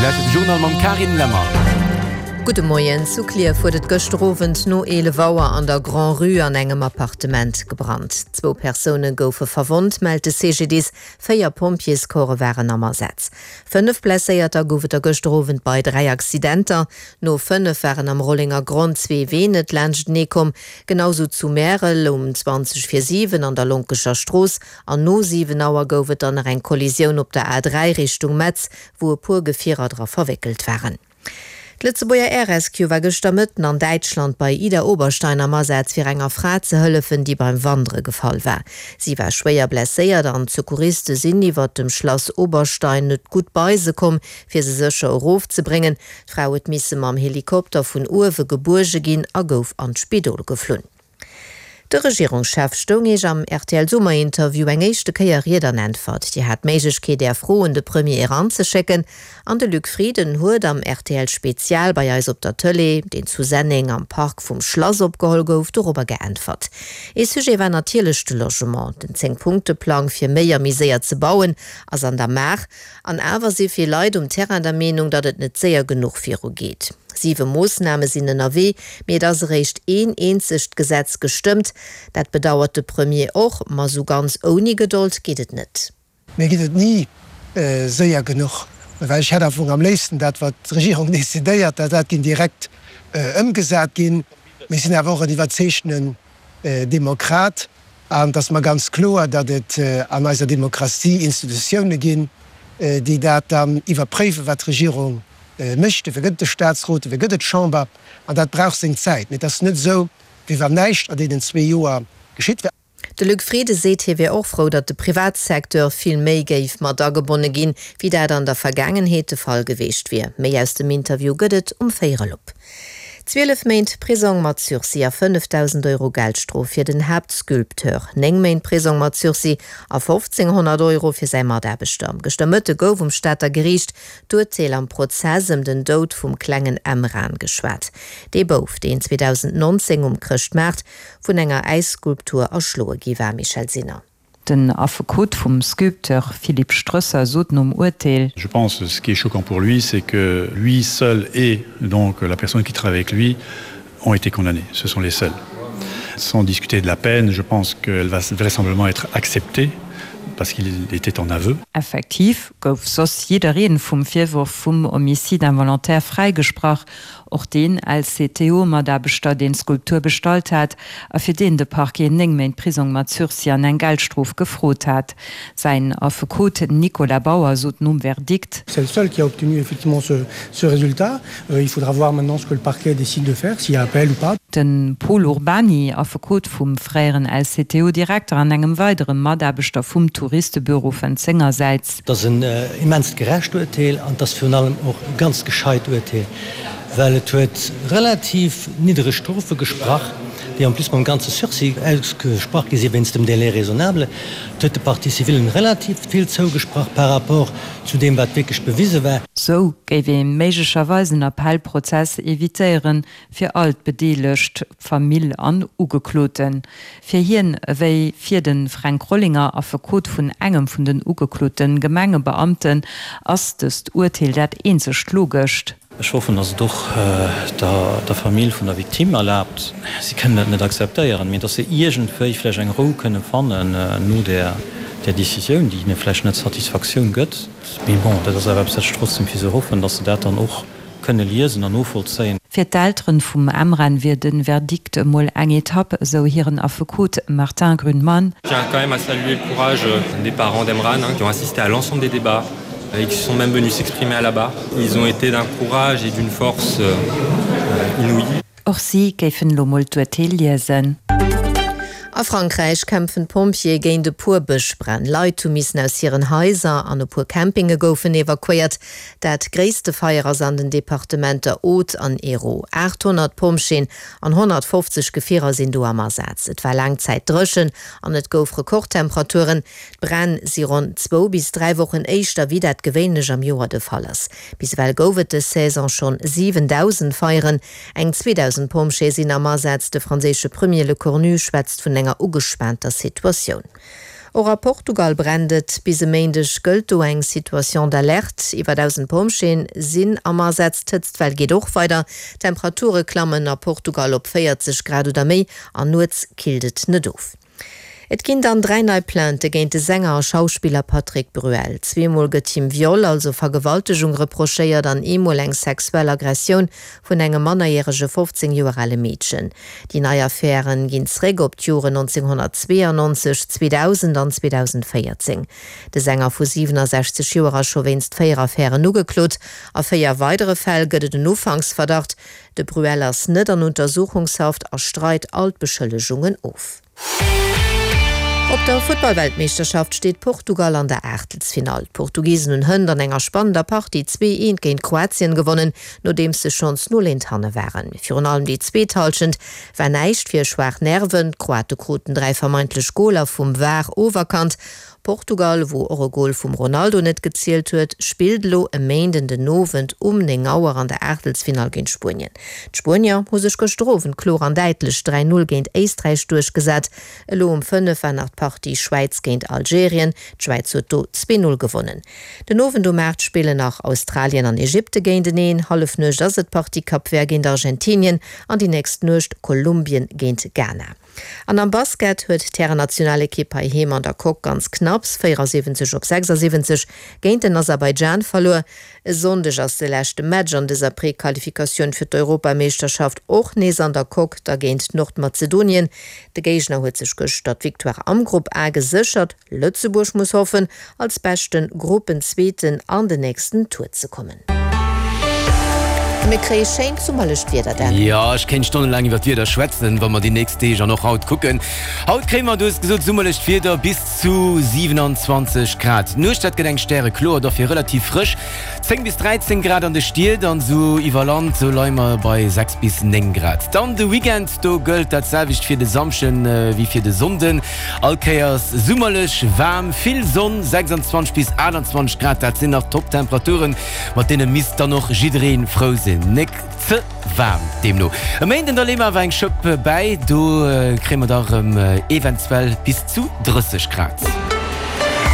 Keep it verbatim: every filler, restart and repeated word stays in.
lauschtert de Journal mam Carine Lemmer. Gudde Moien. Zu Klierf huet et gëschter Owend no eelef Auer an der Grand-Rue an engem Appartement gebrannt. Zwou Persoune goufe verwonnt, mellt de C G D I S. Véier Pompjeescorpse waren am Asaz. Fënnef Blesséierter gouf et der gëschter Owend bei dräi Accidenter. No fënnef waren am Rollengergronn zwee Ween net laanschtenee komm. Genau sou zu Märel um zwanzeg vir siwen an der Lonkecher Strooss. An no siwen Auer gouf et dann nach eng Kollisioun op der A dräi Richtung Metz, wou e puer Gefierer dra verwéckelt waren. D'Lëtzebuerger Air Rescue war gëschter Mëtten an Däitschland bei Idar-Oberstein am Asaz fir enger Fra ze hëllefen, déi beim Wandere gefall war. Si war schwéier blesséiert an d'Secouriste sinn iwwer dem Schlass Oberstein net gutt bei se komm, fir se sécher erofzebréngen. D'Fra huet misse mam Helikopter vun uewe gebuerge ginn a gouf an d'Spidol geflunn. De Regierungschef stoung Iech am R T L-Summerinterview eng éischte Kéier Ried an Äntwert. Dir hat d'Méiglechkeet, Är Froen un de Premier eranzeschécken. An de Luc Frieden huet am R T L Spezial bei eis op der Tëlee, deen zu Senneng am Park vum Schlass opgeholl gouf, dorobber geäntwert. Ee Sujet war natierlech de Logement. Den Zéng-Punkte-Plang fir méi a méi séier ze bauen ass an der Maach. An awer si vill Leit um Terrain der Meenung, datt et net séier genuch virugeet. Siwe Moossname sinn ënnerwee, mee et ass eréischt een eenzegt Gesetz gestëmmt. Dat bedauert de Premier och, ma sou ganz ouni Gedold geet et net. Mir geet et ni séier genuch, well ech hätt am Fong am léifsten dat, wat d'Regierung decidéiert, dat dat géing direkt ëmgesat ginn. Mir sinn awer och en iwwerzeegtenen Demokrat an et ass mer ganz kloer, datt et an eiser Demokratie Institutioune ginn, déi dat dann iwwerpréiwen, wat d'Regierung mécht. Dofir gëtt et de Staatsrot, dofir gëtt et d'Chamber an dat brauch seng Zäit. Mee et ass net esou, wéi wann näischt an deenen zwee Joer geschitt wär. De Luc Frieden seet, hie wier och frou, datt de Privatsecteur vill méi géif mat agebonne ginn, wéi dat an der Vergaangenheet de Fall gewiescht wier. Méi aus dem Interview gëtt et um véierel op. Zwielef Méint Prisong mat Sursis a fënnefdausend Euro Geldstrof fir den Haaptsculpteur, néng Méint Prisong mat Sursis a fofzénghonnert Euro fir säi Mataarbechter. Gëschter Mëtte gouf um Stater Geriicht d'Urteel am Prozess ëm den Doud vum klengen Emran geschwat. Dee Bouf, deen zweedausendnonzéng um Chrëschtmaart vun enger Äisskulptur erschloe gi war. Michèle Sinner. Den Affekot vum Sculpteur Philippe Strösser sot nom Urteel: Je pense ce qui est choquant pour lui, c'est que lui seul et donc la personne qui travaille avec lui ont été condamnés. Ce sont les seuls. Sans discuter de la peine, je pense qu'elle va vraisemblablement être acceptée parce qu'il était en aveu. Effektiv gouf soss jiddereen vum Virworf vum Homicide involontaire fräigesprach, och den L C T O-Mataarbechter, deen d'Skulptur bestallt hat a fir deen de Parquet néng Méint Prisong mat Sursis an eng Geldstrof gefrot hat. Säin Affekot Nicolas Bauer sot nom Verdikt: C'est le seul qui a obtenu effectivement ce, ce résultat. Euh, il faudra voir maintenant ce que le parquet décide de faire, s'il y a appel ou pas. De Pol Urbany, Affekot vum fréieren L C T O-Direkter an engem weidere Mataarbechter vum Touristebüro, fënnt sengersäits: Dat ass en immenst gerecht Urteel an dat ass virun allem och e ganz gescheit Urteel, well et huet relativ niddereg Strofe gesprach, déi en plus mam ganze Sursis ausgesprach gi si wéinst dem Délai raisonnable. Et huet de Parties civilen relativ vill zougesprach par rapport zu deem, wat wierklech bewise war. Sou géif ee méiglecherweis en Appellprozess evitéieren fir all d'Bedeelegt, Famill an Ugekloten. Fir hien ewéi fir de Fränk Rollinger, Affekot vun engem vun den ugeklote Gemengebeamten, ass dëst Urteel dat eenzegt logescht. Ech hoffen, dass et och der Famill vun der Victime erlaabt, si kënnen dat net akzeptéieren, mee dass se iergendwéi vläicht eng Rou kënne fannen no där Décisioun, déi hinne vläicht net Satisfaktioun gëtt. Mee bon, dat ass awer eppes, wat ech trotzdem fir se hoffen, dass se dat dann och kënne liesen an novollzéien. Fir d'Elteren vum Emran wier de Verdikt emol eng Etapp, esou hiren Affekot Martin Grünmann. Je tiens quand même à saluer le courage des parents d'Emran qui ont assisté à l'ensemble des débats et qui sont même venus s'exprimer à la barre. Ils ont été d'un courage et d'une force inouïe. Och si géifen elo mol d'Urteel liesen. A Frankräich kämpfen d'Pompjeeë géint e puer Bëschbränn. Leit hu missen aus hiren Haiser an e puer Campinge goufen evakuéiert. Dat gréisste Feier ass an den Departementer Aude an Hérault. aachthonnert Pompjeeën an honnertfofzeg Gefierer sinn do am Asaz. Et war laang Zäit dréchen an et gouf Rekordtemperaturen. D'Bränn si ronn zwou bis dräi Wochen éischter wéi dat gewéinlech am Joer de Fall ass. Bis ewell gouf et dës Saison schonn siwendausend Feieren. Eng zweedausend Pompjeeë sinn am Asaz. De franséische Premier Lecornu schwätzt vun enger ugespaanter Situatioun. Och a Portugal brennt et. Bis e Méindeg gëllt do eng Situation d'alerte. Iwwer dausend Pompjeeën sinn am Asaz. D'Hëtztwell geet och weider. D'Temperature klammen a Portugal op véierzeg Grad oder méi an nuets killt et net of. Et ginn dann dräi nei Plaintë géint de Sänger a Schauspiller Patrick Bruel. Zweemol gëtt him Viol, also Vergewaltegung, reprochéiert an eemol eng sexuell Aggressioun vun engem mannerjärege fofzéng Joer ale Meedchen. Déi nei Affäre ginn zeréck op d'Joren nonzénghonnertzweeanonzeg, zweedausend an zweedausendvéierzéng. De Sänger vu siwenasechzeg Joer ass scho wéinst véier Affären ugeklot. A véier weidere Fäll gëtt et en Ufanksverdacht. De Bruel ass net an Untersuchungshaft a streit all d'Beschëllegungen of. Op der Futtball-Weltmeeschterschaft steet Portugal an der Aachtelsfinall. D'Portugisen hunn hënt an enger spannender Partie zwee eent géint Kroatien gewonnen, nodeems se schonns null eent hanne waren. Virun allem déi zweet Hallschent war näischt fir schwaach Nerven. D'Kroate kruten dräi vermeintlech Goler vum var oferkannt. Portugal, wou och e Gol vum Ronaldo net gezielt huet, spillt elo e Méinden den Owend um néng Auer an der Aachtelsfinall géint Spuenien. D'Spuenier hu sech gëschter Owend kloer an däitlech dräi Null géint Éisträich duerchgesat. Elo um fënnef war nach d'Partie Schwäiz géint Algerien, d'Schwäiz huet do zwee Null gewonnen. Den Owend um aacht spillen nach Australien an Ägypte géinteneen, Hallefnuecht ass et d'Partie Cap Vert géint Argentinien an déi nächst Nuecht Kolumbien géint Ghana. An am Basket huet d'Härennationalekipp heiheem an der Coque ganz knapps véierasiwwenzeg op sechsasiwwenzeg géint den Aserbaidschan verluer. E Sonndeg ass de leschte Match an dëser Prequalifikatioun fir d'Europameeschterschaft, och nees an der Coque, da géint Nordmazedonien. De Géigner huet sech gëschter d'Victoire am Grupp A geséchert. Lëtzebuerg muss hoffen, als beschte Gruppenzweeten an den nächsten Tour ze kommen. Mir kréie schéint summerlecht Wieder, Dan. Jo, ech kéint stonnelaang iwwer d'Wieder schwätzen, wa mer déi nächst Deeg an och haut kucken. Haut kréie mer, du hues gesot, summerlecht Wieder bis zu siewenanzwanzeg Grad. D'Nuecht, dat gëtt eng stärekloer, dofir relativ frësch, zéng bis dräizéng Grad an de Stied an esou iwwer Land, sou leie mer bei sechs bis néng Grad. Dann de Weekend, do gëllt dat selwecht fir de Samschden wéi fir de Sonnden. All Kéiers summerlech waarm, vill Sonn, sechsandzwanzeg bis aachtandzwanzeg Grad, dat sinn nach Top-Temperaturen, mat deene misst dann och jidderee frou sinn. Nek ze waarm deemno. E Méinden da leeë mer awer eng Schëpp bäi, do kréie mer da rëm eventuell bis zu drësseg Grad.